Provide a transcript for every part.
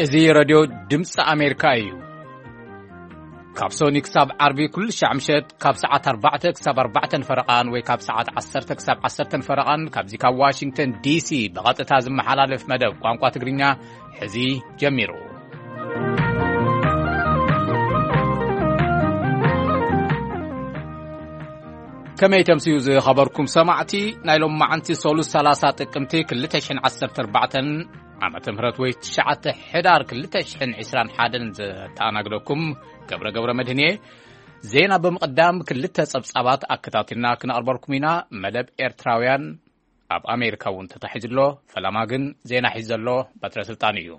እዚ ረድዮ ድምፂ ኣሜሪካ እዩ። ካብ ሶኒ ክሳብ ዓርቢ ኩሉ ሻዕ ምሸት ካብ ሰዓት ኣርባዕተ ክሳብ ኣርባዕተን ፈረቓን ወይ ካብ ሰዓት ዓሰርተ ክሳብ ዓሰርተን ፈረቓን ካብዚ ካብ ዋሽንግተን ዲሲ ብቐጥታ ዝመሓላለፍ መደብ ቋንቋ ትግርኛ ሕዚ ጀሚሩ። ከመይ ተምስዩ ዝኸበርኩም ሰማዕቲ፣ ናይ ሎም መዓንቲ ሶሉስ ሰላሳ ጥቅምቲ ክልተ ሽሕን ዓሰርተ ኣርባዕተን ዓመተ ምህረት ወይ ትሽዓተ ሕዳር ክልተ ሽሕን ዕስራን ሓደን ዘተኣናግደኩም ገብረ ገብረ መድህን እየ። ዜና ብምቕዳም ክልተ ጸብጻባት ኣከታቲልና ክነቕርበልኩም ኢና። መደብ ኤርትራውያን ኣብ ኣሜሪካ እውን ተታሒዙ ኣሎ። ፈለማ ግን ዜና ሒዙ ዘሎ በትረ ስልጣን እዩ።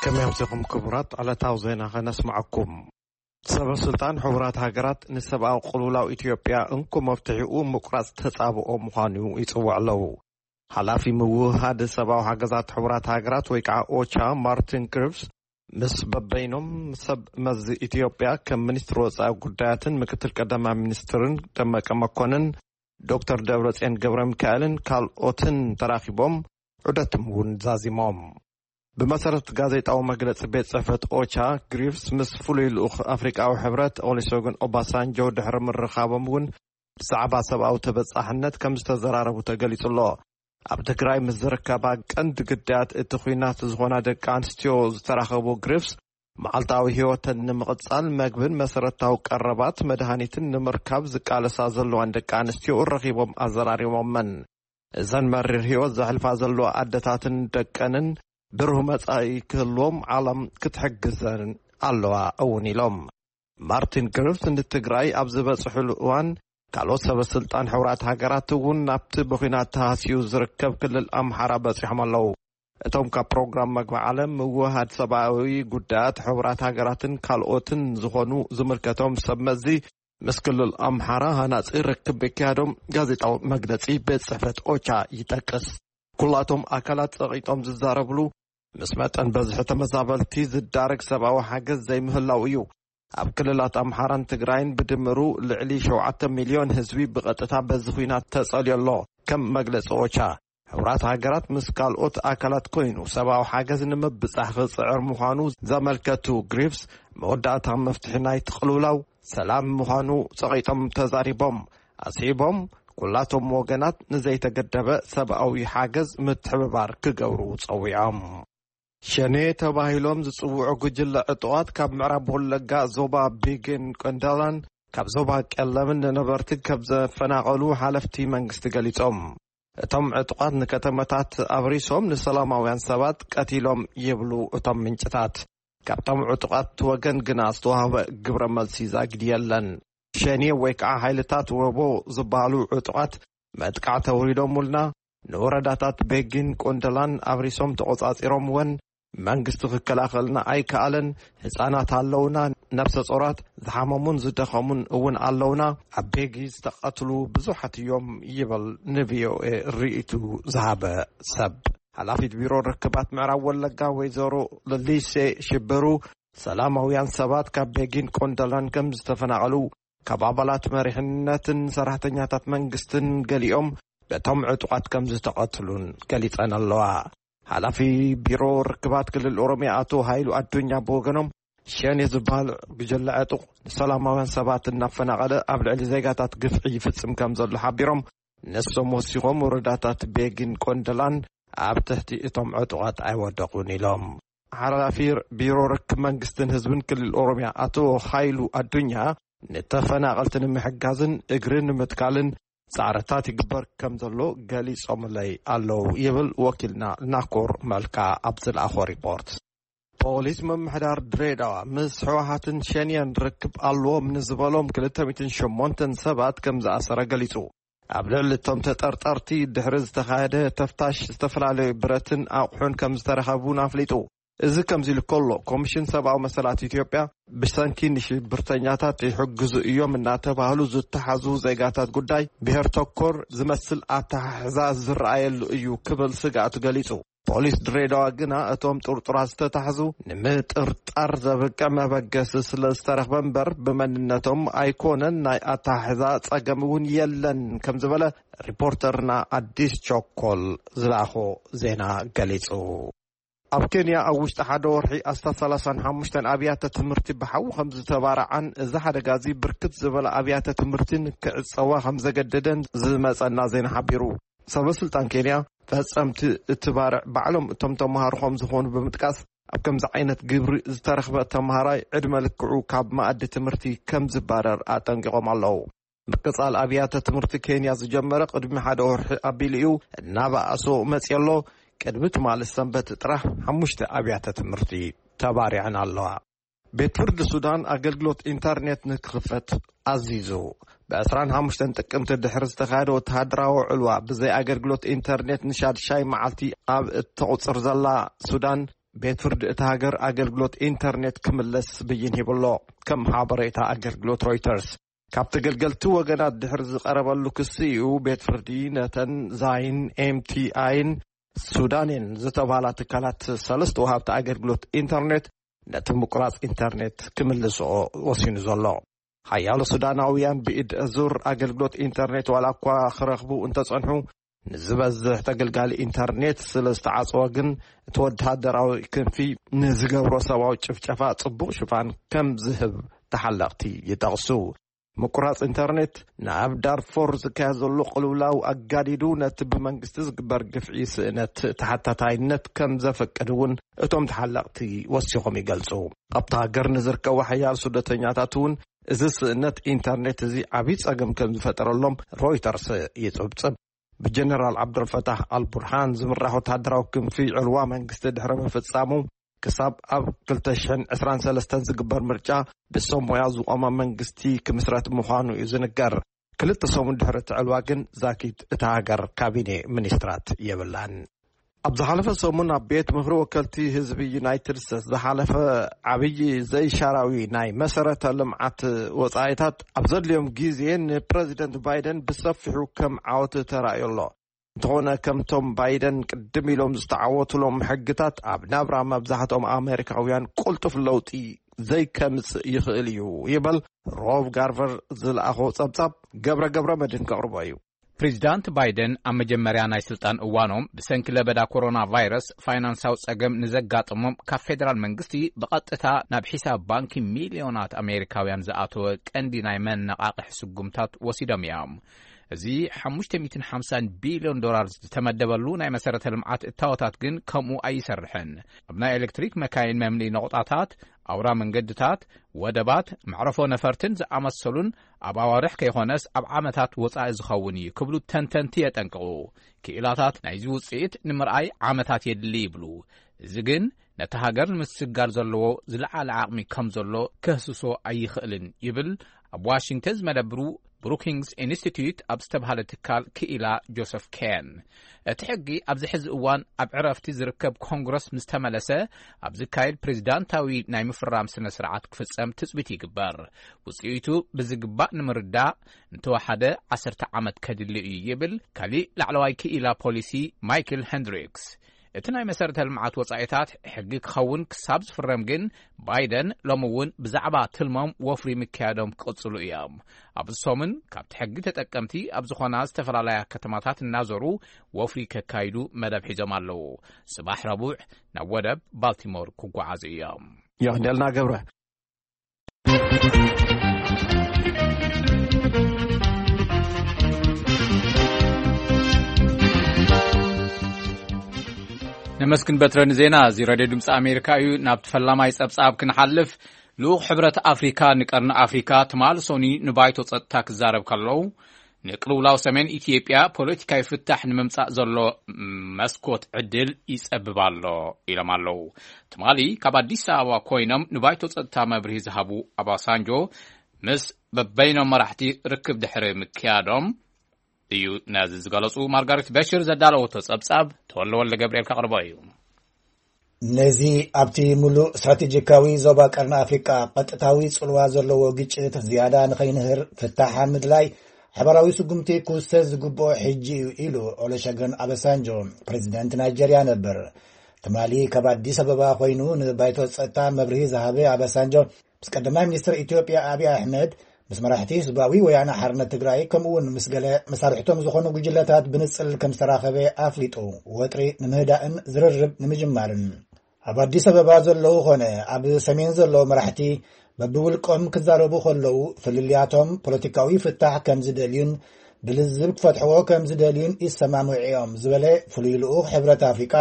ከመይ ኣምሲኹም ክቡራት? ዕለታዊ ዜና ኸነስምዐኩም። ሰበ ስልጣን ሕቡራት ሃገራት ንሰብኣዊ ቅልውላው ኢትዮጵያ እንኮ መፍትሒኡ ምቁራጽ ተጻብኦ ምዃኑ ይጽውዕ ኣለዉ። ሓላፊ ምውህሃድ ሰብኣዊ ሓገዛት ሕቡራት ሃገራት ወይ ከዓ ኦቻ ማርቲን ግሪፍስ ምስ በበይኖም ሰብ መዚ ኢትዮጵያ ከም ሚኒስትሪ ወጻኢ ጉዳያትን ምክትል ቀዳማይ ሚኒስትርን ደመቀ መኮንን፣ ዶክተር ደብረጽዮን ገብረ ሚካኤልን ካልኦትን ተራኺቦም ዑደቶም እውን ዛዚሞም። ብመሰረት ጋዜጣዊ መግለጺ ቤት ጽሕፈት ኦቻ፣ ግሪፍስ ምስ ፍሉይ ልኡኽ ኣፍሪቃዊ ሕብረት ኦሊሶግን ኦባሳንጆ ድሕሪ ምርኻቦም እውን ብዛዕባ ሰብኣዊ ተበጻሕነት ከም ዝተዘራረቡ ተገሊጹ ኣሎ። ኣብ ትግራይ ምስ ዝርከባ ቀንዲ ግዳያት እቲ ኲናት ዝኾና ደቂ ኣንስትዮ ዝተራኸቡ ግሪፍስ፣ መዓልታዊ ህይወተን ንምቕጻል መግብን መሰረታዊ ቀረባት መድሃኒትን ንምርካብ ዝቃለሳ ዘለዋን ደቂ ኣንስትዮ ረኺቦም ኣዘራሪቦመን። እዘን መሪር ህይወት ዘሕልፋ ዘለዋ ኣደታትን ደቀንን ብሩህ መጻኢ ክህልዎም ዓለም ክትሕግዘን ኣለዋ እውን ኢሎም። ማርቲን ግሪፍስ ንትግራይ ኣብ ዝበጽሕሉ እዋን ካልኦት ሰበ ስልጣን ሕቡራት ሃገራት እውን ናብቲ ብኲናት ተሃስዩ ዝርከብ ክልል ኣምሓራ በጺሖም ኣለዉ። እቶም ካብ ፕሮግራም መግቢ ዓለም ምውህሃድ ሰብኣዊ ጉዳያት ሕቡራት ሃገራትን ካልኦትን ዝኾኑ ዝምልከቶም ሰብ መዚ ምስ ክልል ኣምሓራ ሃናጺ ርክብ ምክያዶም ጋዜጣዊ መግለጺ ቤት ጽሕፈት ኦቻ ይጠቅስ። ኩላቶም ኣካላት ጸቒጦም ዝዛረብሉ፣ ምስ መጠን በዝሒ ተመዛበልቲ ዝዳረግ ሰብኣዊ ሓገዝ ዘይምህላው እዩ። ኣብ ክልላት ኣምሓራን ትግራይን ብድምሩ ልዕሊ ሸውዓተ ሚልዮን ህዝቢ ብቐጥታ በዚ ኲናት ተጸልዮ ኣሎ። ከም መግለጺ ኦቻ፣ ሕቡራት ሃገራት ምስ ካልኦት ኣካላት ኮይኑ ሰብኣዊ ሓገዝ ንምብጻሕ ክጽዕር ምዃኑ ዘመልከቱ ግሪፍስ፣ መወዳእታ መፍትሒ ናይቲ ቅልውላው ሰላም ምዃኑ ጸቒጦም ተዛሪቦም። ኣስዒቦም፣ ኩላቶም ወገናት ንዘይተገደበ ሰብኣዊ ሓገዝ ምትሕብባር ክገብሩ ጸዊዖም። ሸኔ ተባሂሎም ዝጽውዑ ጉጅለ ዕጡቓት ካብ ምዕራብ ወለጋ ዞባ ቤጊን ቆንደላን ካብ ዞባ ቀለምን ንነበርቲ ከም ዘፈናቐሉ ሓለፍቲ መንግስቲ ገሊጾም። እቶም ዕጡቓት ንከተማታት ኣብሪሶም ንሰላማውያን ሰባት ቀቲሎም ይብሉ እቶም ምንጭታት። ካብቶም ዕጡቓት ወገን ግና ዝተዋህበ ግብረ መልሲ ዛጊድ የለን። ሸኔ ወይ ከዓ ሓይልታት ወቦ ዝበሃሉ ዕጡቓት መጥቃዕቲ ኣውሪዶምልና፣ ንወረዳታት ቤጊን ቆንደላን ኣብሪሶም ተቖጻጺሮምወን፣ መንግስቲ ክከላኸልና ኣይከኣለን። ህጻናት ኣለውና፣ ነፍሰ ጾራት፣ ዝሓመሙን ዝደኸሙን እውን ኣለውና። ኣብ ቤጊ ዝተቐትሉ ብዙሓት እዮም ይብል ንቪኦኤ ርእይቱ ዝሃበ ሰብ። ሓላፊት ቢሮ ርክባት ምዕራብ ወለጋ ወይዘሮ ለሊሴ ሽብሩ፣ ሰላማውያን ሰባት ካብ ቤጊን ቆንደላን ከም ዝተፈናቐሉ፣ ካብ ኣባላት መሪሕነትን ሰራሕተኛታት መንግስትን ገሊኦም በቶም ዕጡቓት ከም ዝተቐትሉን ገሊጸን ኣለዋ። ሓላፊ ቢሮ ርክባት ክልል ኦሮሚያ ኣቶ ሃይሉ ኣዱኛ ብወገኖም፣ ሸኔ ዝበሃል ጉጅለ ዕጡቕ ንሰላማውያን ሰባት እናፈናቐለ ኣብ ልዕሊ ዜጋታት ግፍዒ ይፍጽም ከም ዘሎ ሓቢሮም፣ ንሶም ወሲኾም ወረዳታት ቤጊን ቆንደላን ኣብ ትሕቲ እቶም ዕጡቓት ኣይወደቑን ኢሎም። ሓላፊ ቢሮ ርክብ መንግስትን ህዝብን ክልል ኦሮሚያ ኣቶ ሃይሉ ኣዱኛ፣ ንተፈናቐልቲ ንምሕጋዝን እግሪ ንምትካልን ጻዕርታት ይግበር ከም ዘሎ ገሊጾምለይ ኣለዉ ይብል ወኪልና ናኮር መልካ ኣብ ዝለኣኾ ሪፖርት። ፖሊስ ምምሕዳር ድሬዳዋ ምስ ህወሓትን ሸኔን ርክብ ኣለዎም ንዝበሎም ክልተ ሚእትን ሸሞንተን ሰባት ከም ዝኣሰረ ገሊጹ። ኣብ ልዕሊ እቶም ተጠርጠርቲ ድሕሪ ዝተኻየደ ተፍታሽ ዝተፈላለዩ ብረትን ኣቑሑን ከም ዝተረኸቡ እውን ኣፍሊጡ። እዚ ከምዚ ኢሉ ከሎ፣ ኮሚሽን ሰብኣዊ መሰላት ኢትዮጵያ ብሰንኪ ንሽብርተኛታት ይሕግዙ እዮም እናተባህሉ ዝተሓዙ ዜጋታት ጉዳይ ብሄር ተኮር ዝመስል ኣተሓሕዛ ዝረኣየሉ እዩ ክብል ስግኣቱ ገሊጹ። ፖሊስ ድሬዳዋ ግና እቶም ጥርጡራት ዝተታሕዙ ንምጥርጣር ዘብቅዕ መበገሲ ስለ ዝተረኽበ እምበር ብመንነቶም ኣይኮነን፣ ናይ ኣተሓሕዛ ጸገም እውን የለን ከም ዝበለ ሪፖርተርና ኣዲስ ቸኮል ዝለኣኾ ዜና ገሊጹ። ኣብ ኬንያ ኣብ ውሽጢ ሓደ ወርሒ ኣስታት ሰላሳን ሓሙሽተን ኣብያተ ትምህርቲ ብሓዊ ከም ዝተባረዓን እዚ ሓደጋ እዚ ብርክት ዝበለ ኣብያተ ትምህርቲ ንክዕጸዋ ከም ዘገደደን ዝመጸና ዜና ሓቢሩ። ሰበ ስልጣን ኬንያ ፈጸምቲ እቲ ባርዕ ባዕሎም እቶም ተምሃሮ ከም ዝኾኑ ብምጥቃስ ኣብ ከምዚ ዓይነት ግብሪ ዝተረኽበ ተምሃራይ ዕድመ ልክዑ ካብ መኣዲ ትምህርቲ ከም ዝባረር ኣጠንቂቖም ኣለዉ። ምቅጻል ኣብያተ ትምህርቲ ኬንያ ዝጀመረ ቅድሚ ሓደ ወርሒ ኣቢሉ እዩ እናበኣሶ መጺኡ ኣሎ። ቅድሚ ትማሊ ሰንበት ጥራሕ ሓሙሽተ ኣብያተ ትምህርቲ ተባሪዐን ኣለዋ። ቤት ፍርዲ ሱዳን ኣገልግሎት ኢንተርኔት ንክኽፈት ኣዚዙ። ብ ዕስራን ሓሙሽተን ጥቅምቲ ድሕሪ ዝተኻየደ ወተሃደራዊ ዕልዋ ብዘይ ኣገልግሎት ኢንተርኔት ንሻድሻይ መዓልቲ ኣብ እተቑጽር ዘላ ሱዳን፣ ቤት ፍርዲ እታ ሃገር ኣገልግሎት ኢንተርኔት ክምለስ ብይን ሂብሎ። ከም ሓበሬታ ኣገልግሎት ሮይተርስ፣ ካብ ተገልገልቲ ወገናት ድሕሪ ዝቐረበሉ ክሲ እዩ ቤት ፍርዲ ነተን ዛይን ኤምቲኣይን ሱዳንን ዝተባህላ ትካላት ሰለስተ ወሃብቲ ኣገልግሎት ኢንተርኔት ነቲ ምቁራጽ ኢንተርኔት ክምልስኦ ወሲኑ ዘሎ። ሓያሎ ሱዳናውያን ብኢድ ዙር ኣገልግሎት ኢንተርኔት ዋላ እኳ ክረኽቡ እንተጸንሑ፣ ንዝበዝሕ ተገልጋሊ ኢንተርኔት ስለ ዝተዓጽወ ግን እቲ ወተሃደራዊ ክንፊ ንዝገብሮ ሰብኣዊ ጭፍጨፋ ጽቡቕ ሽፋን ከም ዝህብ ተሓለቕቲ ይጠቕሱ። ምቁራጽ ኢንተርኔት ንኣብ ዳርፎር ዝካየድ ዘሎ ቅልውላው ኣጋዲዱ ነቲ ብመንግስቲ ዝግበር ግፍዒ ስእነት ተሓታታይነት ከም ዘፈቅድ እውን እቶም ተሓለቕቲ ወሲኾም ይገልጹ። ኣብታ ሃገር ንዝርከቡ ሓያል ስደተኛታት እውን እዚ ስእነት ኢንተርኔት እዚ ዓብዪ ጸገም ከም ዝፈጠረሎም ሮይተርስ ይጽብጽብ። ብጀነራል ዓብደልፈታህ ኣልቡርሃን ዝምራሕ ወተሃደራዊ ክንፊ ዕልዋ መንግስቲ ድሕሪ ምፍጻሙ፣ ክሳብ ኣብ ክልተ ሽሕን ዕስራን ሰለስተን ዝግበር ምርጫ ብሰብ ሞያ ዝቖመ መንግስቲ ክምስረት ምዃኑ እዩ ዝንገር። ክልተ ሰሙን ድሕሪ እቲ ዕልዋ ግን ዛጊት እታ ሃገር ካቢኔ ሚኒስትራት የብላን። ኣብ ዝሓለፈ ሰሙን ኣብ ቤት ምኽሪ ወከልቲ ህዝቢ ዩናይትድ ስቴትስ ዝሓለፈ ዓብዪ ዘይሻራዊ ናይ መሰረተ ልምዓት ወጻኢታት ኣብ ዘድልዮም ግዜ ንፕረዚደንት ባይደን ብሰፊሑ ከም ዓወት ተራእዩ ኣሎ። እንተኾነ ከምቶም ባይደን ቅድም ኢሎም ዝተዓወቱሎም ሕግታት ኣብ ናብራ መብዛሕትኦም ኣሜሪካውያን ቅልጡፍ ለውጢ ዘይከምጽእ ይኽእል እዩ ይበል ሮብ ጋርቨር ዝለኣኾ ጸብጻብ ገብረ ገብረ መድህን ከቕርቦ እዩ። ፕሬዚዳንት ባይደን ኣብ መጀመርያ ናይ ስልጣን እዋኖም ብሰንኪ ለበዳ ኮሮና ቫይረስ ፋይናንሳዊ ጸገም ንዘጋጠሞም ካብ ፌደራል መንግስቲ ብቐጥታ ናብ ሒሳብ ባንኪ ሚልዮናት ኣሜሪካውያን ዝኣተወ ቀንዲ ናይ መነቓቕሒ ስጉምታት ወሲዶም እዮም። እዚ ሓሙሽተ ሚእትን ሓምሳን ቢልዮን ዶላር ዝተመደበሉ ናይ መሰረተ ልምዓት እታወታት ግን ከምኡ ኣይሰርሕን። ኣብ ናይ ኤሌክትሪክ መካይን መምልኢ ነቑጣታት፣ ኣውራ መንገድታት፣ ወደባት፣ መዕረፎ ነፈርትን ዝኣመሰሉን ኣብ ኣዋርሕ ከይኾነስ ኣብ ዓመታት ወጻኢ ዝኸውን እዩ ክብሉ ተንተንቲ የጠንቅቑ። ክኢላታት ናይዚ ውጽኢት ንምርኣይ ዓመታት የድሊ ይብሉ። እዚ ግን ነቲ ሃገር ንምስግጋር ዘለዎ ዝለዓለ ዓቕሚ ከም ዘሎ ከህስሶ ኣይኽእልን ይብል ኣብ ዋሽንግተን ዝመደብሩ ብሩኪንግስ ኢንስቲትዩት ኣብ ዝተባህለ ትካል ክኢላ ጆሰፍ ኬን። እቲ ሕጊ ኣብዚ ሕዚ እዋን ኣብ ዕረፍቲ ዝርከብ ኮንግረስ ምስ ተመለሰ ኣብ ዝካየድ ፕሬዚዳንታዊ ናይ ምፍራም ስነ ስርዓት ክፍጸም ትጽቢት ይግበር። ውጽኢቱ ብዝግባእ ንምርዳእ እንተወሓደ ዓሰርተ ዓመት ከድሊ እዩ ይብል ካሊእ ላዕለዋይ ክኢላ ፖሊሲ ማይክል ሄንድሪክስ። እቲ ናይ መሰረተ ልምዓት ወጻኢታት ሕጊ ክኸውን ክሳብ ዝፍረም ግን ባይደን ሎሚ እውን ብዛዕባ ትልሞም ወፍሪ ምክያዶም ክቕጽሉ እዮም። ኣብዚ ሰሙን ካብቲ ሕጊ ተጠቀምቲ ኣብ ዝኾና ዝተፈላለያ ከተማታት እናዞሩ ወፍሪ ከካይዱ መደብ ሒዞም ኣለዉ። ጽባሕ ረቡዕ ናብ ወደብ ባልቲሞር ክጓዓዙ እዮም። የቐንየልና ገብረ። ነመስግን በትረ ንዜና። እዚ ሬድዮ ድምፂ ኣሜሪካ እዩ። ናብቲ ፈላማይ ጸብጻብ ክንሓልፍ፣ ልኡኽ ሕብረት ኣፍሪካ ንቀርኒ ኣፍሪካ ትማሊ ሶኒ ንባይቶ ጸጥታ ክዛረብ ከለዉ፣ ንቅልውላው ሰሜን ኢትዮጵያ ፖለቲካዊ ፍታሕ ንምምጻእ ዘሎ መስኮት ዕድል ይጸብብ ኣሎ ኢሎም ኣለዉ። ትማሊ ካብ ኣዲስ ኣበባ ኮይኖም ንባይቶ ጸጥታ መብርሂ ዝሃቡ ኣባሳንጆ፣ ምስ በበይኖም መራሕቲ ርክብ ድሕሪ ምክያዶም እዩ ነዚ ዝገለጹ። ማርጋሬት በሽር ዘዳለወቶ ጸብጻብ ተወልደ ወልደ ገብርኤል ከቕርቦ እዩ። ነዚ ኣብቲ ምሉእ ስትራቴጂካዊ ዞባ ቀርኒ ኣፍሪቃ ቀጥታዊ ጽልዋ ዘለዎ ግጭት ዝያዳ ንኸይንህር ፍታሕ ኣብ ምድላይ ሓባራዊ ስጉምቲ ክውሰድ ዝግብኦ ሕጂ እዩ ኢሉ ኦሎሸገን ኣበሳንጆ፣ ፕሬዚደንት ናይጀርያ ነበር። ትማሊ ካብ ኣዲስ ኣበባ ኮይኑ ንባይቶ ጸጥታ መብርሂ ዝሃበ ኣበሳንጆ፣ ምስ ቀዳማይ ሚኒስትር ኢትዮጵያ ኣብይ ኣሕመድ፣ ምስ መራሕቲ ህዝባዊ ወያነ ሓርነት ትግራይ፣ ከምኡ እውን ምስ ገለ መሳርሕቶም ዝኾኑ ጉጅለታት ብንጽል ከም ዝተራኸበ ኣፍሊጡ። ወጥሪ ንምህዳእን ዝርርብ ንምጅማርን። ኣብ ኣዲስ ኣበባ ዘለዉ ኾነ ኣብ ሰሜን ዘለዉ መራሕቲ በብውልቆም ክዛረቡ ከለዉ፣ ፍልልያቶም ፖለቲካዊ ፍታሕ ከም ዝደልዩን ብልዝብ ክፈትሕዎ ከም ዝደልዩን ይሰማምዑ እዮም ዝበለ ፍሉይ ልኡኽ ሕብረት ኣፍሪቃ፣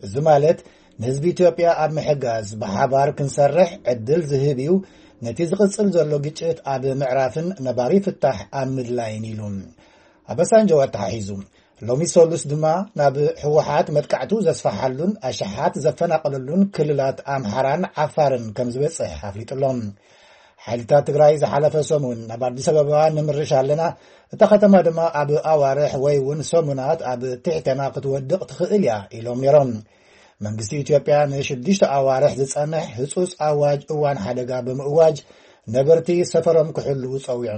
እዚ ማለት ንህዝቢ ኢትዮጵያ ኣብ ምሕጋዝ ብሓባር ክንሰርሕ ዕድል ዝህብ እዩ፣ ነቲ ዝቕጽል ዘሎ ግጭት ኣብ ምዕራፍን ነባሪ ፍታሕ ኣብ ምድላይን ኢሉ። ኣበሳንጆ ኣተሓሒዙ፣ ሎሚ ሰሉስ ድማ ናብ ህወሓት መጥቃዕቱ ዘስፋሓሉን ኣሽሓት ዘፈናቐለሉን ክልላት ኣምሓራን ዓፋርን ከም ዝበጽሕ ኣፍሊጡ ኣሎ። ሓይልታት ትግራይ ዝሓለፈ ሰሙን ናብ ኣዲስ ኣበባ ንምርሽ ኣለና፣ እታ ከተማ ድማ ኣብ ኣዋርሕ ወይ እውን ሰሙናት ኣብ ትሕተና ክትወድቕ ትኽእል እያ ኢሎም ነይሮም። መንግስቲ ኢትዮጵያ ንሽዱሽተ ኣዋርሕ ዝጸንሕ ህጹጽ ኣዋጅ እዋን ሓደጋ ብምእዋጅ ነበርቲ ሰፈሮም ክሕልዉ ጸዊዑ።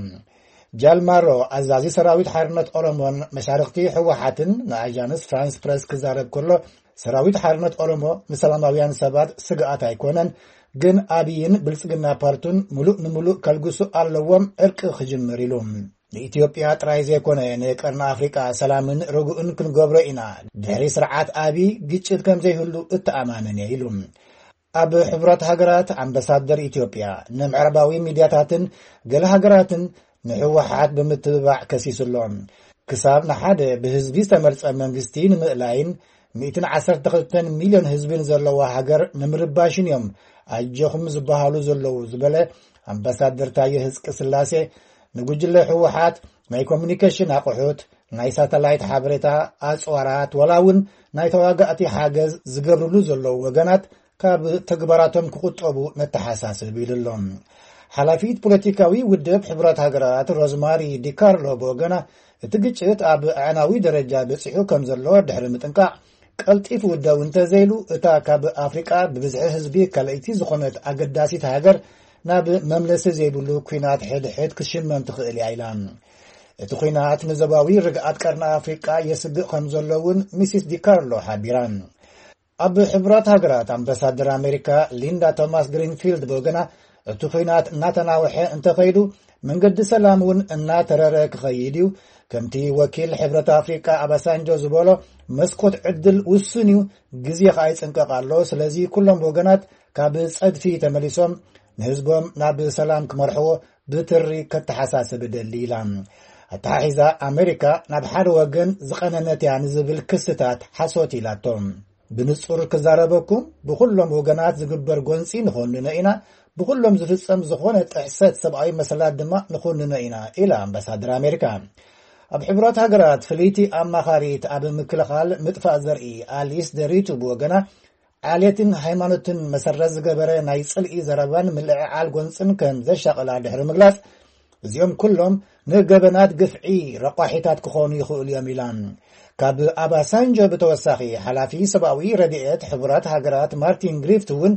ጃል ማሮ፣ ኣዛዚ ሰራዊት ሓርነት ኦሮሞን መሻርኽቲ ህወሓትን ንኣጃንስ ፍራንስ ፕረስ ክዛረብ ከሎ፣ ሰራዊት ሓርነት ኦሮሞ ንሰላማውያን ሰባት ስግኣት ኣይኮነን፣ ግን ኣብይን ብልጽግና ፓርቱን ምሉእ ንምሉእ ከልግሱ ኣለዎም ዕርቂ ክጅምር ኢሉ። ንኢትዮጵያ ጥራይ ዘይኮነ ንቀርኒ ኣፍሪቃ ሰላምን ርጉእን ክንገብሮ ኢና። ድሕሪ ስርዓት ኣብይ ግጭት ከም ዘይህሉ እተኣማመን እየ ኢሉ። ኣብ ሕቡራት ሃገራት ኣምባሳደር ኢትዮጵያ ንምዕራባዊ ሚድያታትን ገለ ሃገራትን ንህወሓት ብምትብባዕ ከሲሱ ኣሎ። ክሳብ ንሓደ ብህዝቢ ዝተመርጸ መንግስቲ ንምእላይን ሚእትን ዓሰርተ ክልተን ሚልዮን ህዝቢ ንዘለዋ ሃገር ንምርባሽን እዮም ኣጆኹም ዝበሃሉ ዘለዉ ዝበለ ኣምባሳደር ታየ ህዝቂ ስላሴ፣ ንጉጅለ ህወሓት ናይ ኮሙኒኬሽን ኣቑሑት፣ ናይ ሳተላይት ሓበሬታ ኣጽዋራት፣ ዋላ እውን ናይ ተዋጋእቲ ሓገዝ ዝገብርሉ ዘለዉ ወገናት ካብ ተግባራቶም ክቑጠቡ ነተሓሳስብ ኢሉ ኣሎ። ሓላፊት ፖለቲካዊ ውድብ ሕቡራት ሃገራት ሮዝማሪ ዲካርሎ ብወገና፣ እቲ ግጭት ኣብ ኣዕናዊ ደረጃ በጺሑ ከም ዘሎ ድሕሪ ምጥንቃቕ፣ ቀልጢፉ ደው እንተዘይሉ፣ እታ ካብ ኣፍሪቃ ብብዝሒ ህዝቢ ካልኣይቲ ዝኾነት ኣገዳሲት ሃገር ናብ መምለሲ ዘይብሉ ኲናት ሕድሕድ ክትሽመም ትኽእል እያ ኢላ። እቲ ኲናት ንዞባዊ ርግኣት ቀርኒ ኣፍሪቃ የስግእ ከም ዘሎ እውን ሚሲስ ዲካርሎ ሓቢራ። ኣብ ሕቡራት ሃገራት ኣምባሳደር ኣሜሪካ ሊንዳ ቶማስ ግሪንፊልድ ብወገና፣ እቲ ኲናት እናተናውሐ እንተኸይዱ፣ መንገዲ ሰላም እውን እናተረረ ክኸይድ እዩ። ከምቲ ወኪል ሕብረት ኣፍሪቃ ኣባሳንጆ ዝበሎ፣ መስኮት ዕድል ውሱን እዩ፣ ግዜ ኸኣ ይጽንቀቕ ኣሎ። ስለዚ ኩሎም ወገናት ካብ ጸድፊ ተመሊሶም ንህዝቦም ናብ ሰላም ክመርሕዎ ብትሪ ከተሓሳስብ እደሊ ኢላ። ኣተሓሒዛ ኣሜሪካ ናብ ሓደ ወገን ዝቐነነት እያ ንዝብል ክስታት ሓሶት ኢላቶ። ብንጹር ክዛረበኩም፣ ብኹሎም ወገናት ዝግበር ጎንጺ ንኾንኖ ኢና፣ ብኹሎም ዝፍጸም ዝኾነ ጥሕሰት ሰብኣዊ መሰላት ድማ ንኹንኖ ኢና ኢላ ኣምባሳደር ኣሜሪካ። ኣብ ሕቡራት ሃገራት ፍልይቲ ኣማኻሪት ኣብ ምክልኻል ምጥፋእ ዘርኢ ኣሊስ ደሪቱ ብወገና፣ ዓሌትን ሃይማኖትን መሰረት ዝገበረ ናይ ጽልኢ ዘረባን ምልዕዓል ጎንጽን ከም ዘሻቕላ ድሕሪ ምግላጽ፣ እዚኦም ኩሎም ንገበናት ግፍዒ ረቋሒታት ክኾኑ ይኽእሉ እዮም ኢላ። ካብ ኣባሳንጆ ብተወሳኺ፣ ሓላፊ ሰብኣዊ ረድኤት ሕቡራት ሃገራት ማርቲን ግሪፍት እውን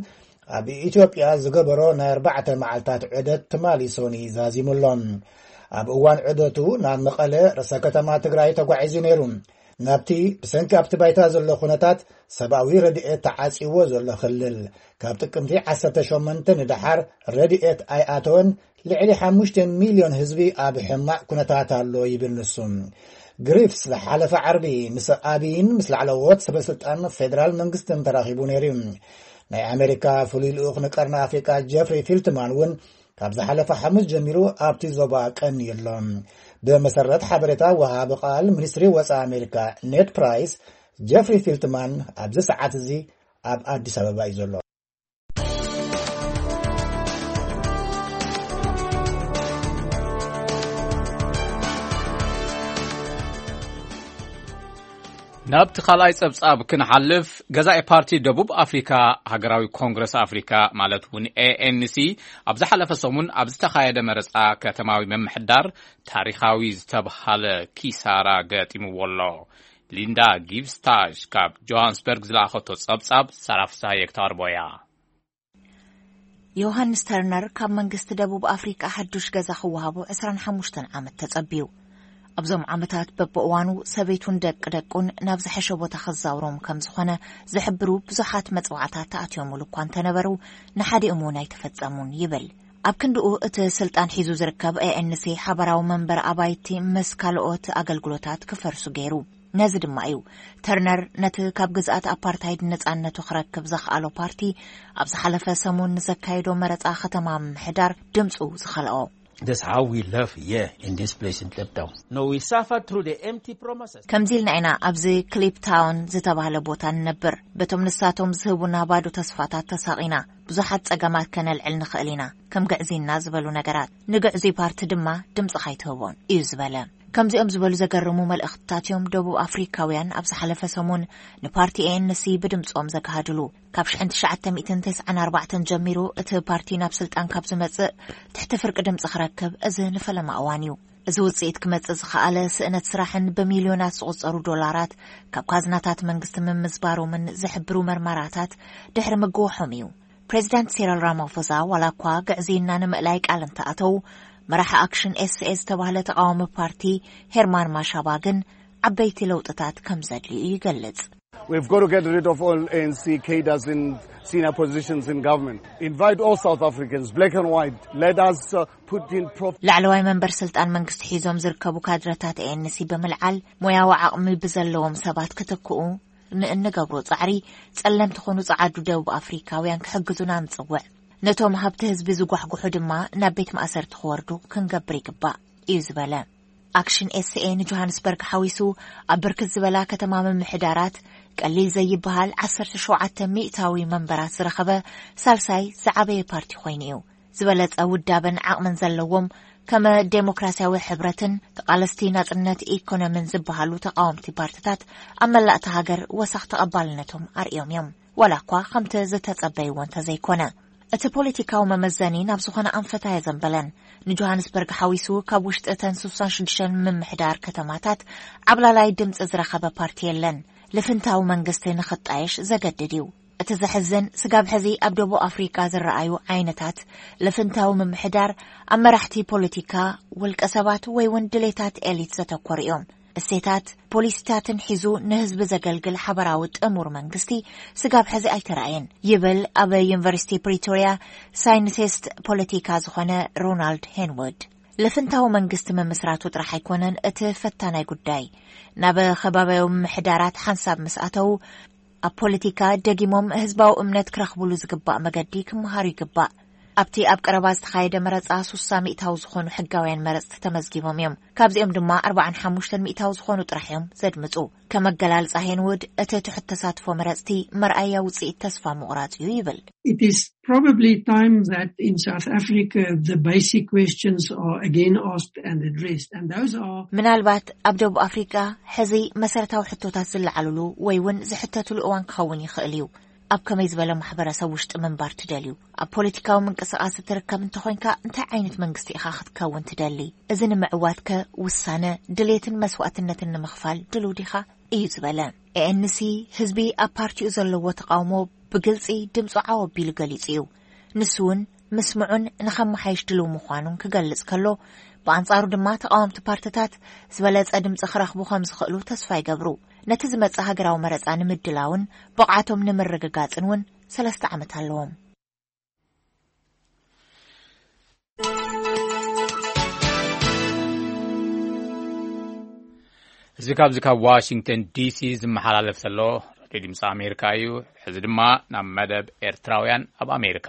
ኣብ ኢትዮጵያ ዝገበሮ ናይ ኣርባዕተ መዓልታት ዑደት ትማሊ ሶኒ ዛዚሙ ኣሎ። ኣብ እዋን ዑደቱ ናብ መቐለ፣ ርእሰ ከተማ ትግራይ፣ ተጓዒዙ ነይሩ። ናብቲ ብሰንኪ ኣብቲ ባይታ ዘሎ ኩነታት ሰብኣዊ ረድኤት ተዓጺዎ ዘሎ ክልል፣ ካብ ጥቅምቲ ዓሰርተ ሸሞንተ ንደሓር ረድኤት ኣይኣተወን፣ ልዕሊ ሓሙሽተ ሚልዮን ህዝቢ ኣብ ሕማቕ ኩነታት ኣሎ ይብል ንሱ። ግሪፍስ ዝሓለፈ ዓርቢ ምስ ኣብይን ምስ ላዕለዎት ሰበስልጣን ፌደራል መንግስትን ተራኺቡ ነይሩ እዩ። ናይ ኣሜሪካ ፍሉይ ልኡኽ ንቀርኒ ኣፍሪቃ ጀፍሪ ፊልትማን እውን ካብ ዝሓለፈ ሓሙስ ጀሚሩ ኣብቲ ዞባ ቀንዩ ኣሎ። ብመሰረት ሓበሬታ ወሃቢ ቃል ሚኒስትሪ ወጻኢ ኣሜሪካ ኔድ ፕራይስ፣ ጀፍሪ ፊልትማን ኣብዚ ሰዓት እዚ ኣብ ኣዲስ ኣበባ እዩ ዘሎ። ናብቲ ካልኣይ ጸብጻብ ክንሓልፍ፣ ገዛኢ ፓርቲ ደቡብ ኣፍሪካ ሃገራዊ ኮንግረስ ኣፍሪካ፣ ማለት እውን ኤ ኤን ሲ፣ ኣብ ዝሓለፈ ሰሙን ኣብ ዝተኻየደ መረጻ ከተማዊ ምምሕዳር ታሪኻዊ ዝተብሃለ ኪሳራ ገጢምዎ ኣሎ። ሊንዳ ጊብስታሽ ካብ ጆሃንስበርግ ዝለኣኸቶ ጸብጻብ፣ ሳራ ፍስሃየ ክተቕርቦ እያ። ዮሃንስ ተርነር ካብ መንግስቲ ደቡብ ኣፍሪቃ ሓዱሽ ገዛ ክወሃቦ ዕስራን ሓሙሽተን ዓመት ተጸብዩ። ኣብዞም ዓመታት በብእዋኑ ሰበይቱን ደቂ ደቁን ናብ ዝሐሸ ቦታ ከዛውሮም ከም ዝኾነ ዝሕብሩ ብዙሓት መጽዋዕታት ተኣትዮምሉ እኳ እንተነበሩ፣ ንሓዲኦም እውን ኣይተፈጸሙን ይብል። ኣብ ክንድኡ እቲ ስልጣን ሒዙ ዝርከብ ኤ ኤን ሲ ሓበራዊ መንበር ኣባይቲ ምስ ካልኦት ኣገልግሎታት ክፈርሱ ገይሩ። ነዚ ድማ እዩ ተርነር ነቲ ካብ ግዝኣት ኣፓርታይድ ነጻነቱ ክረክብ ዘኽኣሎ ፓርቲ ኣብ ዝሓለፈ ሰሙን ንዘካየዶ መረጻ ከተማ ምምሕዳር ድምጹ ዝኸልኦ። That's how we live here in this place in Cape Town. No, we suffer through the empty promises. ከምዚ ኢልና ኢና ኣብዚ ክሊፕ ታውን ዝተባህለ ቦታ ንነብር። በቶም ንሳቶም ዝህቡና ባዶ ተስፋታት ተሳቒና። ብዙሓት ጸገማት ከነልዕል ንኽእል ኢና፣ ከም ግዕዝይና ዝበሉ ነገራት። ንግዕዙይ ፓርቲ ድማ ድምጽኻ ኣይትህቦን እዩ ዝበለ። ከምዚኦም ዝበሉ ዘገርሙ መልእኽትታት እዮም ደቡብ ኣፍሪካውያን ኣብ ዝሓለፈ ሰሙን ንፓርቲ ኤ ኤን ሲ ብድምጾም ዘግሃድሉ። ካብ ሽሕን ትሽዓተ ሚእትን ተስዓን ኣርባዕተን ጀሚሩ እቲ ፓርቲ ናብ ስልጣን ካብ ዝመጽእ ትሕቲ ፍርቂ ድምጺ ክረክብ እዚ ንፈለማ እዋን እዩ። እዚ ውጽኢት ክመጽእ ዝኸኣለ ስእነት ስራሕን ብሚልዮናት ዝቑጸሩ ዶላራት ካብ ካዝናታት መንግስቲ ምምዝባሮምን ዝሕብሩ መርመራታት ድሕሪ ምግውሖም እዩ። ፕሬዚዳንት ሲሪል ራማፎዛ ዋላ እኳ ግዕዝይና ንምእላይ ቃል እንተኣተው፣ መራሒ ኣክሽን ኤስ ኤ ዝተባህለ ተቃዋሚ ፓርቲ ሄርማን ማሻባ ግን ዓበይቲ ለውጥታት ከም ዘድልዩ ይገልጽ። We've got to get rid of all A N C cadres in senior positions in government. Invite all South Africans, black and white. Let us uh, put in prof. ላዕለዋይ መንበር ስልጣን መንግስቲ ሒዞም ዝርከቡ ካድረታት ኤ ኤን ሲ ብምልዓል ሞያዊ ዓቕሚ ብዘለዎም ሰባት ክትክኡ ንእንገብሮ ጻዕሪ ጸለምቲ ኾኑ ጸዓዱ ደቡብ ኣፍሪካውያን ክሕግዙና ንጽውዕ። ነቶም ሃብቲ ህዝቢ ዝጓሕጉሑ ድማ ናብ ቤት ማእሰርቲ ክወርዱ ክንገብር ይግባእ እዩ ዝበለ። ኣክሽን ኤስ ኤ ንጆሃንስበርግ ሓዊሱ ኣብ ብርክት ዝበላ ከተማ ምምሕዳራት ቀሊል ዘይበሃል ዓሰርተ ሸውዓተ ሚእታዊ መንበራት ዝረኸበ ሳልሳይ ዝዓበየ ፓርቲ ኮይኑ እዩ። ዝበለጸ ውዳበን ዓቕምን ዘለዎም ከመ ዴሞክራሲያዊ ሕብረትን ተቓለስቲ ናጽነት ኢኮኖሚን ዝበሃሉ ተቃወምቲ ፓርትታት ኣብ መላእቲ ሃገር ወሳኽ ተቐባልነቶም ኣርእዮም እዮም። ዋላ እኳ ከምቲ ዝተጸበይዎ እንተዘይኮነ። እቲ ፖለቲካዊ መመዘኒ ናብ ዝኾነ ኣንፈት ኣየዘንበለን። ንጆሃንስበርግ ሓዊሱ ካብ ውሽጢ እተን ስሳን ሽዱሽተን ምምሕዳር ከተማታት ዓብላላይ ድምፂ ዝረኸበ ፓርቲ የለን። ልፍንታዊ መንግስቲ ንኽጣየሽ ዘገድድ እዩ። እቲ ዘሕዝን ስጋብ ሕዚ ኣብ ደቡብ ኣፍሪቃ ዝረኣዩ ዓይነታት ልፍንታዊ ምምሕዳር ኣብ መራሕቲ ፖለቲካ፣ ውልቀ ሰባት ወይ እውን ድሌታት ኤሊት ዘተኮሩ እዮም። እሴታት ፖሊሲታትን ሒዙ ንህዝቢ ዘገልግል ሓበራዊ ጥሙር መንግስቲ ስጋብ ሕዚ ኣይተራእየን ይብል ኣብ ዩኒቨርሲቲ ፕሪቶሪያ ሳይንቲስት ፖለቲካ ዝኾነ ሮናልድ ሄንወድ። ልፍንታዊ መንግስቲ ምምስራቱ ጥራሕ ኣይኮነን እቲ ፈታናይ ጉዳይ። ናብ ከባቢያዊ ምምሕዳራት ሓንሳብ ምስ ኣተው ኣብ ፖለቲካ ደጊሞም ህዝባዊ እምነት ክረኽብሉ ዝግባእ መገዲ ክመሃሩ ይግባእ። ኣብቲ ኣብ ቀረባ ዝተኻየደ መረጻ ሱሳ ሚእታዊ ዝኾኑ ሕጋውያን መረጽቲ ተመዝጊቦም እዮም። ካብዚኦም ድማ ኣርባዓን ሓሙሽተን ሚእታዊ ዝኾኑ ጥራሕ እዮም ዘድምጹ። ከመገላልጻ ሄንውድ እቲ ትሑት ተሳትፎ መረጽቲ መርኣያ ውጽኢት ተስፋ ምቑራጽ እዩ ይብል። It is probably time that in South Africa the basic questions are again asked and addressed, and those are ምናልባት ኣብ ደቡብ ኣፍሪቃ ሕዚ መሰረታዊ ሕቶታት ዝለዓሉሉ ወይ እውን ዝሕተቱሉ እዋን ክኸውን ይኽእል እዩ። ኣብ ከመይ ዝበለ ማሕበረሰብ ውሽጢ ምንባር ትደልዩ? ኣብ ፖለቲካዊ ምንቅስቃስ እትርከብ እንተኾይንካ እንታይ ዓይነት መንግስቲ ኢኻ ክትከውን ትደሊ? እዚ ንምዕዋትከ ውሳነ ድሌትን መስዋእትነትን ንምኽፋል ድሉው ዲኻ? እዩ ዝበለ። ኤ ኤን ሲ ህዝቢ ኣብ ፓርቲኡ ዘለዎ ተቃውሞ ብግልጺ ድምፁ ዓው ኣቢሉ ገሊጹ እዩ። ንሱ እውን ምስምዑን ንኸመሓይሽ ድሉው ምዃኑን ክገልጽ ከሎ፣ ብኣንጻሩ ድማ ተቃወምቲ ፓርትታት ዝበለጸ ድምፂ ክረኽቡ ከም ዝኽእሉ ተስፋ ይገብሩ። ነቲ ዝመጽእ ሃገራዊ መረጻ ንምድላውን ብቕዓቶም ንምርግጋጽን እውን ሰለስተ ዓመት ኣለዎም። እዚ ካብዚ ካብ ዋሽንግተን ዲሲ ዝመሓላለፍ ዘሎ ሬድዮ ድምፂ ኣሜሪካ እዩ። ሕዚ ድማ ናብ መደብ ኤርትራውያን ኣብ ኣሜሪካ።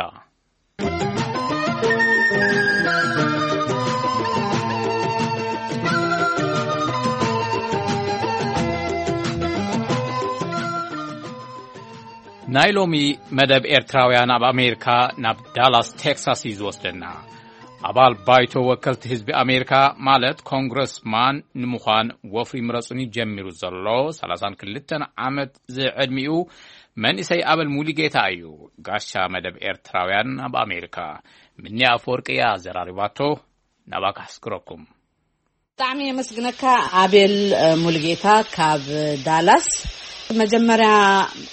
ናይ ሎሚ መደብ ኤርትራውያን ኣብ ኣሜሪካ ናብ ዳላስ ቴክሳስ እዩ ዝወስደና። ኣባል ባይቶ ወከልቲ ህዝቢ ኣሜሪካ ማለት ኮንግረስማን ንምዃን ወፍሪ ምረጹኒ ጀሚሩ ዘሎ ሰላሳን ክልተን ዓመት ዝዕድሚኡ መንእሰይ ኣበል ሙሉጌታ እዩ። ጋሻ መደብ ኤርትራውያን ኣብ ኣሜሪካ ምንያ ኣፈወርቂ እያ ዘራሪባቶ። ናባካ ኣሕስክረኩም። ብጣዕሚ የመስግነካ ኣቤል ሙሉጌታ ካብ ዳላስ። መጀመርያ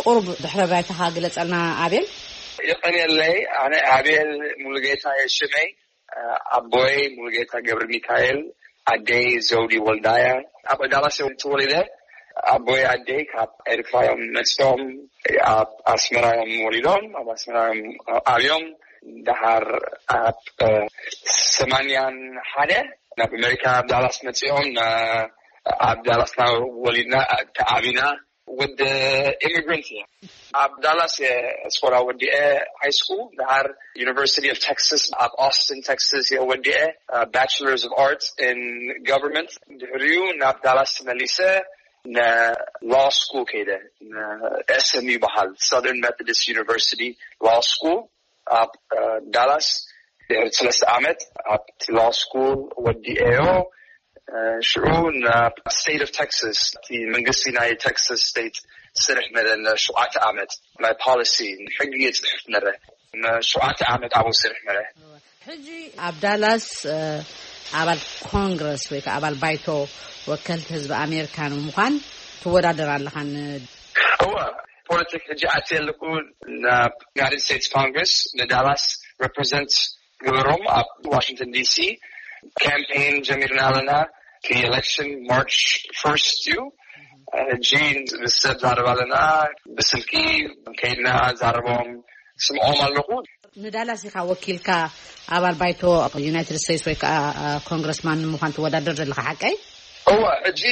ቁሩብ ድሕረ ባይታኻ ግለጸልና ኣቤል። የቐንየለይ። ኣነ ኣቤል ሙሉጌታ እየ ሽመይ። ኣቦይ ሙሉጌታ ገብረ ሚካኤል ኣደይ ዘውዲ ወልዳያ። ኣብ ዳላስ እዮም ተወሊደ። ኣቦይ ኣደይ ካብ ኤርትራ እዮም መፅኦም። ኣብ ኣስመራ እዮም ወሊዶም፣ ኣብ ኣስመራ እዮም ኣብዮም። ደሓር ኣብ ሰማንያን ሓደ ናብ ኣሜሪካ፣ ኣብ ዳላስ መፅኦም። ኣብ ዳላስና ወሊድና ተዓቢና። ወዲ ኢሚግራንት እየ። ኣብ ዳላስ የስኮላ ወዲኤ ሃይ ስኩል፣ ድሓር ዩኒቨርሲቲ ኦፍ ቴክሳስ ኣብ ኦስትን ቴክሳስ እየ ወዲኤ። ባችለርስ ኦፍ ኣርትስ ኢን ጋቨርንመንት። ድሕሪኡ ናብ ዳላስ ተመሊሰ ንላው ስኩል ከይደ። ኤስኤምዩ ይበሃል፣ ሳውዘርን ሜቶዲስት ዩኒቨርሲቲ ላው ስኩል። ኣብ ዳላስ ድሕሪ ሰለስተ ዓመት ኣብቲ ላው ስኩል ወዲኤዮ። ሽዑ ናብ ስቴት ኦፍ ቴክሳስ፣ እቲ መንግስቲ ናይ ቴክሳስ ስቴት ስርሕ መለ ንሸውዓተ ዓመት ናይ ፖሊሲ ሕጊ የፅሕፍ ነረ። ንሸውዓተ ዓመት ኣብኡ ስርሕ ነረ። ሕጂ ኣብ ዳላስ ኣባል ኮንግረስ ወይ ከዓ ኣባል ባይቶ ወከልቲ ህዝቢ ኣሜሪካ ንምዃን ትወዳደር ኣለኻ። እወ፣ ፖለቲክ ሕጂ ኣትየ ኣለኩ ናብ ዩናይትድ ስቴትስ ኮንግረስ፣ ንዳላስ ሬፕሬዘንት ግበሮም ኣብ ዋሽንግተን ዲሲ። ካምፔን ጀሚርና ኣለና። እቲ ኤሌክሽን ማርች ፈርስት እዩ። ሕጂ ምስ ሰብ ዛረብ ኣለና፣ ብስልኪ ከይድና ዛረቦም ስምዖም ኣለኹ። ንዳላስ ኢኻ ወኪልካ ኣባል ባይቶ ዩናይትድ ስቴትስ ወይ ከዓ ኮንግረስማን ንምዃን ትወዳደር ዘለኻ ሓቀይ? እወ፣ ሕጂ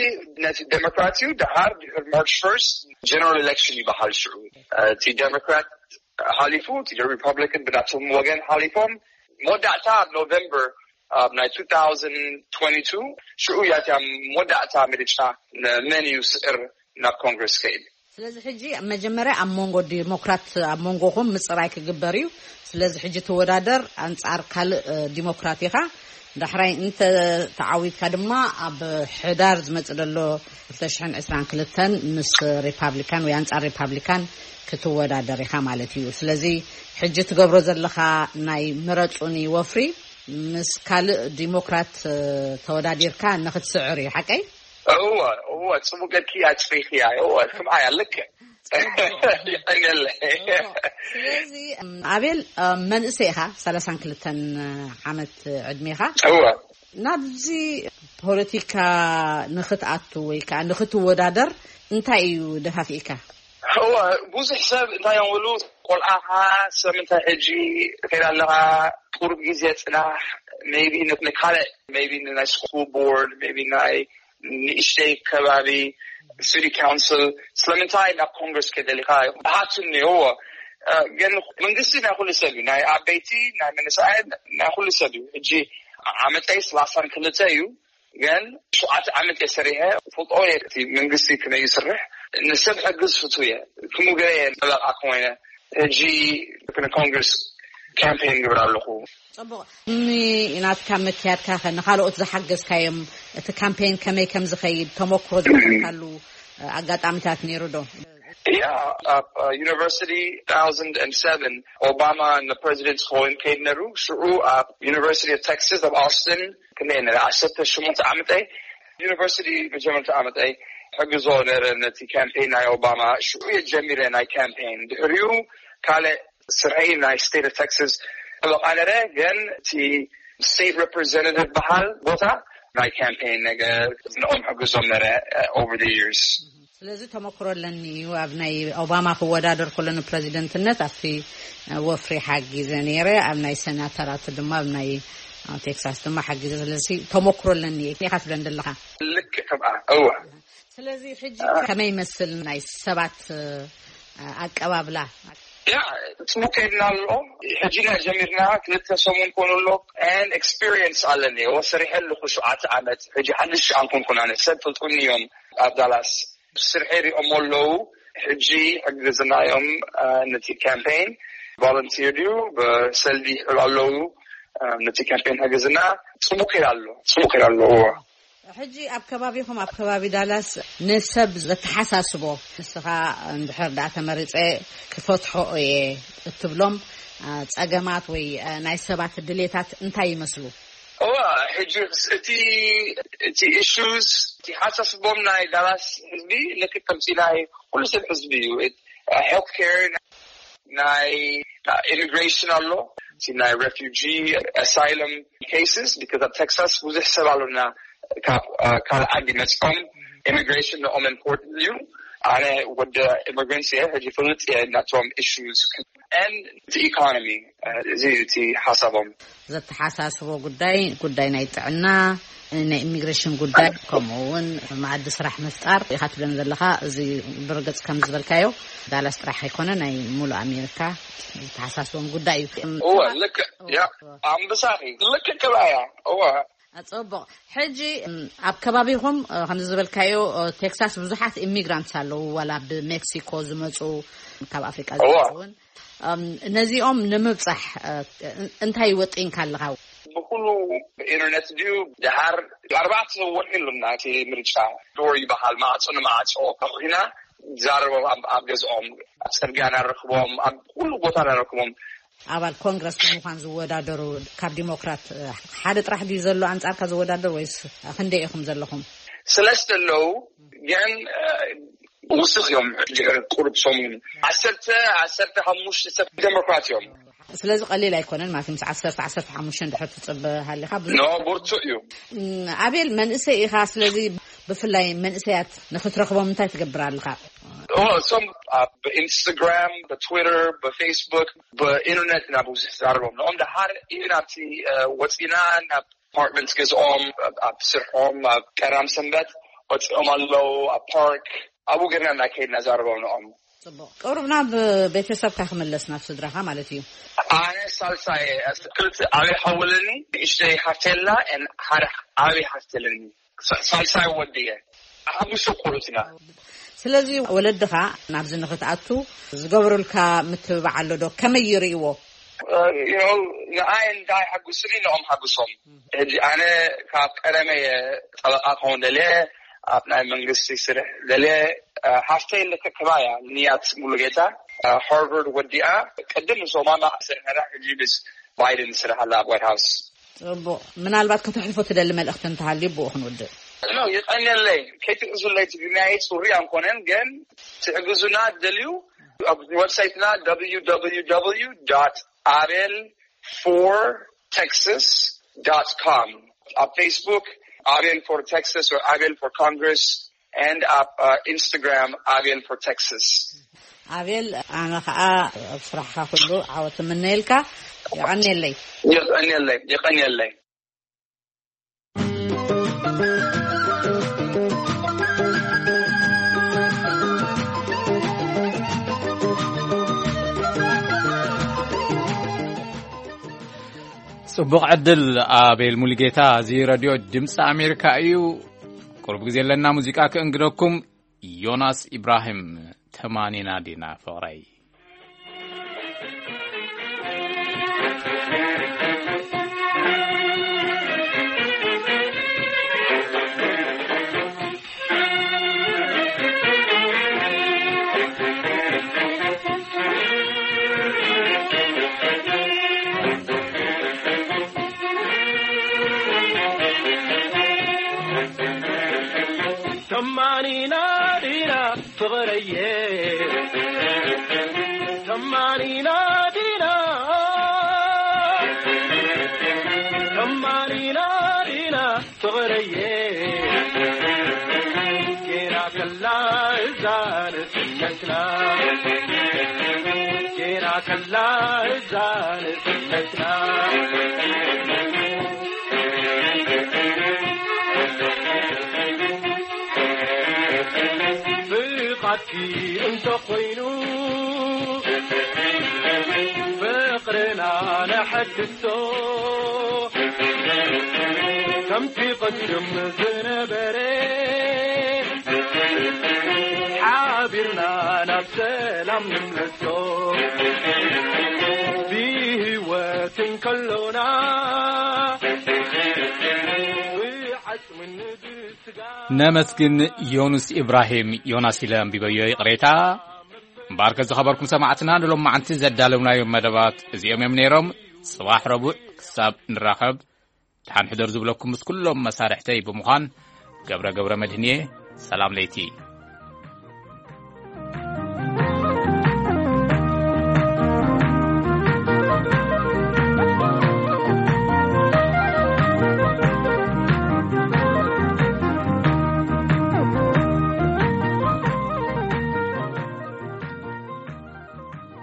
ነቲ ዴሞክራት እዩ። ድሓር ድሕሪ ማርች ፈርስት ጀነራል ኤሌክሽን ይበሃል። ሽዑ እቲ ዴሞክራት ሓሊፉ፣ እቲ ሪፐብሊካን ብናቶም ወገን ሓሊፎም። መወዳእታ ኣብ ኖቨምበር ኣብ ናይ ቱ ታውዘንድ ትወንቲ ቱ ሽዑ እያ እቲያ መወዳእታ ምርጫ፣ ንመን እዩ ስዕር ናብ ኮንግረስ ከይድ። ስለዚ ሕጂ መጀመርያ ኣብ መንጎ ዲሞክራት፣ ኣብ መንጎኹም ምፅራይ ክግበር እዩ። ስለዚ ሕጂ ትወዳደር ኣንፃር ካልእ ዲሞክራት ኢኻ። ዳሕራይ እንተ ተዓዊትካ ድማ ኣብ ሕዳር ዝመፅእ ዘሎ ክልተ ሽሕን ዕስራን ክልተን ምስ ሪፓብሊካን ወይ ኣንፃር ሪፓብሊካን ክትወዳደር ኢኻ ማለት እዩ። ስለዚ ሕጂ ትገብሮ ዘለኻ ናይ ምረፁኒ ወፍሪ ምስ ካልእ ዲሞክራት ተወዳዲርካ ንክትስዕር እዩ፣ ሓቀይ? እወ፣ እወ፣ ጽቡቅ ጌርኪ ኣጽሪኽያ። እወ፣ ስምዓያ፣ ልክዕ። የቐንየለይ። ስለዚ ኣቤል፣ መንእሰይ ኢኻ፣ ሰላሳን ክልተን ዓመት ዕድሜኻ። እወ። ናብዚ ፖለቲካ ንኽትኣቱ ወይ ከዓ ንኽትወዳደር እንታይ እዩ ደፋፊእካ? እወ፣ ብዙሕ ሰብ እንታይ እዮም ዝብሉ፣ ቆልዓኻ ሰብ እንታይ ሕጂ ከይድ ኣለኻ፣ ቁሩብ ግዜ ጽናሕ፣ maybe ንካልእ፣ maybe ንናይ ስኩል ቦርድ፣ maybe ናይ ንእሽተይ ከባቢ ሲቲ ካውንስል ስለምንታይ ናብ ኮንግረስ ከደሊኻ? ሃቱ እኒኦዎ። ግን መንግስቲ ናይ ኩሉ ሰብ እዩ፣ ናይ ዓበይቲ፣ ናይ መንእሰያት፣ ናይ ኩሉ ሰብ እዩ። ሕጂ ዓመተይ ሰላሳን ክልተ እዩ። ግን ሸውዓተ ዓመት እየ ሰሪሐ፣ ፈልጦ እየ እቲ መንግስቲ ከመይ ይስርሕ። ንሰብ ሕግዝ ፍቱ እየ። ክምኡ ገለ እየ ጠበቃ ኮይነ ሕጂ ንኮንግረስ ካምፔን ግብር ኣለኹ። ጽቡቕ። ናትካ መክያድካ ኸ ንኻልኦት ዝሓገዝካዮም፣ እቲ ካምፔን ከመይ ከም ዝኸይድ ተመክሮ ዝነበርካሉ ኣጋጣሚታት ነይሩ ዶ? ያ፣ ኣብ ዩኒቨርሲቲ ቱ ታውዘንድ ሰቨን ኦባማ ንፕሬዚደንት ክኸውን ከይድ ነሩ። ሽዑ ኣብ ዩኒቨርሲቲ ኦፍ ቴክሳስ ኣብ ኣውስትን ክንደይ ነረ፣ ዓሰርተ ሸሞንተ ዓመተይ። ዩኒቨርሲቲ መጀመርታ ዓመተይ ሕግዞ ነረ ነቲ ካምፔን ናይ ኦባማ። ሽዑ እየ ጀሚረ ናይ ካምፔን። ድሕሪኡ ካልእ ስርሐይ ናይ ስቴት ኦፍ ቴክሳስ ጠበቃ ነረ፣ ግን እቲ ስቴት ሬፕሬዘንታቲቭ በሃል ቦታ ናይ ካምፔን ነገር ንኦም ሕግዞም ነረ over the years። ስለዚ ተመክሮ ኣለኒ እዩ። ኣብ ናይ ኦባማ ክወዳደር ከሎ ንፕረዚደንትነት ኣብቲ ወፍሪ ሓጊዘ ነይረ፣ ኣብ ናይ ሰናተራት ድማ ኣብ ናይ ቴክሳስ ድማ ሓጊዘ። ስለዚ ተመክሮ ኣለኒ እዩ ኢኻ ትብለን ዘለኻ። ልክዕ ከምኣ። እወ። ስለዚ ሕጂ ከመይ ይመስል ናይ ሰባት ኣቀባብላ? ያ፣ ጽቡቅ ከይድና ኣሎ። ሕጂ ኢና ጀሚርና፣ ክልተ ሰሙን ኮኑ ኣሎ። And experience ኣለኒ። እወ፣ ሰሪሐ ኣለኹ ሸውዓተ ዓመት። ሕጂ ሓድሽ ኣንኮንኩን ኣነ። ሰብ ፈልጡኒ እዮም ኣብ ዳላስ። ስርሐይ ሪኦም ኣለዉ። ሕጂ ሕግዝናዮም ነቲ ካምፔን። ቮለንቲር ድዩ ብሰልዲ ይሕሉ ኣለዉ። ነቲ ካምፔን ሕግዝና ጽቡቅ ከይድ ኣሎ። ጽቡቅ ከይድ ኣሎ። እወ። ሕጂ ኣብ ከባቢኹም፣ ኣብ ከባቢ ዳላስ ንሰብ ዘተሓሳስቦ፣ ንስኻ እንድሕር ደኣ ተመሪጸ ክፈትሖ እየ እትብሎም ጸገማት ወይ ናይ ሰባት ድሌታት እንታይ ይመስሉ? እዋ፣ ሕጂ እቲ እቲ ኢሹስ፣ እቲ ሓሳስቦም ናይ ዳላስ ህዝቢ ልክዕ ከምቲ ናይ ኩሉ ሰብ ህዝቢ እዩ። ሄልት ኬር፣ ናይ ኢሚግሬሽን ኣሎ፣ እቲ ናይ ሬፊጂ ኣሳይለም ኬስስ፣ ቢካዝ ኣብ ቴክሳስ ብዙሕ ሰብ ኣሎና ካብ ካልኣት ይመፅኦም ኢሚግሬሽን ንኦም ኢምፖርታንት እዩ። ኣነ ወደ ኢሚግራንት እየ ሕጂ ፍልጥ እየ ናቶም ኢሹስ ን እቲ ኢኮኖሚ እዚ እቲ ሓሳቦም። ዘተሓሳስቦ ጉዳይ ጉዳይ ናይ ጥዕና፣ ናይ ኢሚግሬሽን ጉዳይ፣ ከምኡ እውን መኣዲ ስራሕ ምፍጣር ኢኻ ትብለን ዘለኻ። እዚ ብርግፅ ከም ዝበልካዮ ዳላስ ጥራሕ ኣይኮነ ናይ ሙሉእ ኣሜሪካ ዝተሓሳስቦም ጉዳይ እዩ። እወ ልክዕ ያ ኣንበሳኺ ልክዕ ክብኣያ እወ። ኣፀቡቕ። ሕጂ ኣብ ከባቢኹም ከምዚ ዝበልካዮ ቴክሳስ ብዙሓት ኢሚግራንትስ ኣለዉ፣ ዋላ ብሜክሲኮ ዝመፁ፣ ካብ ኣፍሪቃ ዝመፁ እውን ነዚኦም ንምብፃሕ እንታይ ወጢንካ ኣለኻ? ብኩሉ ኢንተርነት ድዩ ድሓር ኣርባዕተ ወርሒ ኣለና እቲ ምርጫ ዶር ይበሃል ማዕፆ ንማዕፆ ተኾይና ዛረቦም ኣብ ገዝኦም ኣብ ፅርግያ ናረክቦም ኣብ ኩሉ ቦታ ናረክቦም። ኣባል ኮንግረስ ብምዃን ዝወዳደሩ ካብ ዲሞክራት ሓደ ጥራሕ ድዩ ዘሎ ኣንጻርካ ዝወዳደር ወይስ ክንደይ ኢኹም ዘለኹም? ስለስተ ኣለዉ ግን ውስኽ እዮም። ድሕሪ ቁሩብ ሰሙን ዓሰርተ ዓሰርተ ሓሙሽተ ሰብ ዴሞክራት እዮም። ስለዚ ቀሊል ኣይኮነን ማለት ምስ ዓሰርተ ዓሰርተ ሓሙሽተ ድሕር ትፅበ ሃሊኻ ብዙ ኖ ብርቱዕ እዩ። ኣቤል መንእሰይ ኢኻ፣ ስለዚ ብፍላይ መንእሰያት ንክትረኽቦም እንታይ ትገብር ኣለኻ? እሶም ብኢንስታግራም ብትዊተር ብፌስቡክ ብኢንተርነት ኢና ብዙሕ ዝዛረቦም ንኦም ደሓር እዩ ናብቲ ወፂና ናብ ኣፓርትመንት ገዝኦም ኣብ ስርሖም ኣብ ቀዳም ሰንበት ወፂኦም ኣለዉ ኣብ ፓርክ ኣብኡ ገርና እናከይድና ዛረቦም ንኦም። ፅቡቅ። ቅሩብ ናብ ቤተሰብካ ክምለስ ናብ ስድራኻ ማለት እዩ። ኣነ ሳልሳይ ክልተ ዓብይ ሓወለኒ ንእሽተይ ሓፍተላ ሓደ ዓብይ ሓፍተለኒ ሳልሳይ ወዲ እየ። ሓሙሽተ ቆልዑት ኢና። ስለዚ ወለድኻ ናብዚ ንኽትኣቱ ዝገብሩልካ ምትብባዕ ኣሎ ዶ? ከመይ ይርእይዎ? ንኣይ እንታይ ሓጉስኒ ንኦም ሓጉሶም። ሕጂ ኣነ ካብ ቀደመ እየ ጠበቃ ክኸውን ደልየ ኣብ ናይ መንግስቲ ስርሕ ደልየ። ሓፍተይ ልክዕ ከማያ ንያት ሙሉጌታ ሃርቨርድ ወዲኣ ቅድም ምስ ኦባማ ስርሐና ሕጂ ምስ ባይደን ስራሕ ኣላ ኣብ ዋይት ሃውስ። ፅቡቕ። ምናልባት ከተሕልፎ ትደሊ መልእኽቲ እንተሃልዩ ብኡ ክንውድእ። ኖ ይቐንየለይ ከይትእዙለይ ትግርኛይ ፅሩይ ኣንኮነን ግን ትሕግዙና ትደልዩ ኣብ ዌብሳይትና www abel for texas com ኣብ ፌስቡክ abel for texas or abel for congress and ኣብ ኢንስታግራም abel for texas። ኣቤል ኣነ ከዓ ኣብ ስራሕካ ኩሉ ዓወት እምነየልካ። የቐንየለይ። የቐንየለይ የቐንየለይ። ጽቡቕ ዕድል ኣቤል ሙሉጌታ። እዚ ረድዮ ድምፂ ኣሜሪካ እዩ። ቁሩብ ግዜ ኣለና ሙዚቃ ክእንግደኩም። ዮናስ ኢብራሂም ተማኒና ዲና ፍቕረይ። ተማኒና ዲና ፍቕረየ ተማኒና ዲና ተማኒና ዲና ፍቕረየ ጌና ከላ እዛ ንስነትና ጌና ከላ እዛ ንስነትና ፍቓድኪ እንተኾይኑ ፍቕርና ነሐድሶ ከምቲ ቅድም ዝነበረ ሓቢርና ናብ ሰላም ንምለሶ ብህይወት እንከሎና ብዓጽምን ብስጋ ነመስግን ዮኑስ ኢብራሂም። ዮናስ ኢለ ኣንቢበዮ ይቕሬታ። እምበኣርከ ዝኸበርኩም ሰማዕትና ንሎማዓንቲ ዘዳለውናዮም መደባት እዚኦም እዮም ነይሮም። ጽባሕ ረቡዕ ክሳብ ንራኸብ ደሓን ሕደሩ ዝብለኩም ምስ ኩሎም መሳርሕተይ ብምዃን ገብረ ገብረ መድህንየ ሰላም ለይቲ።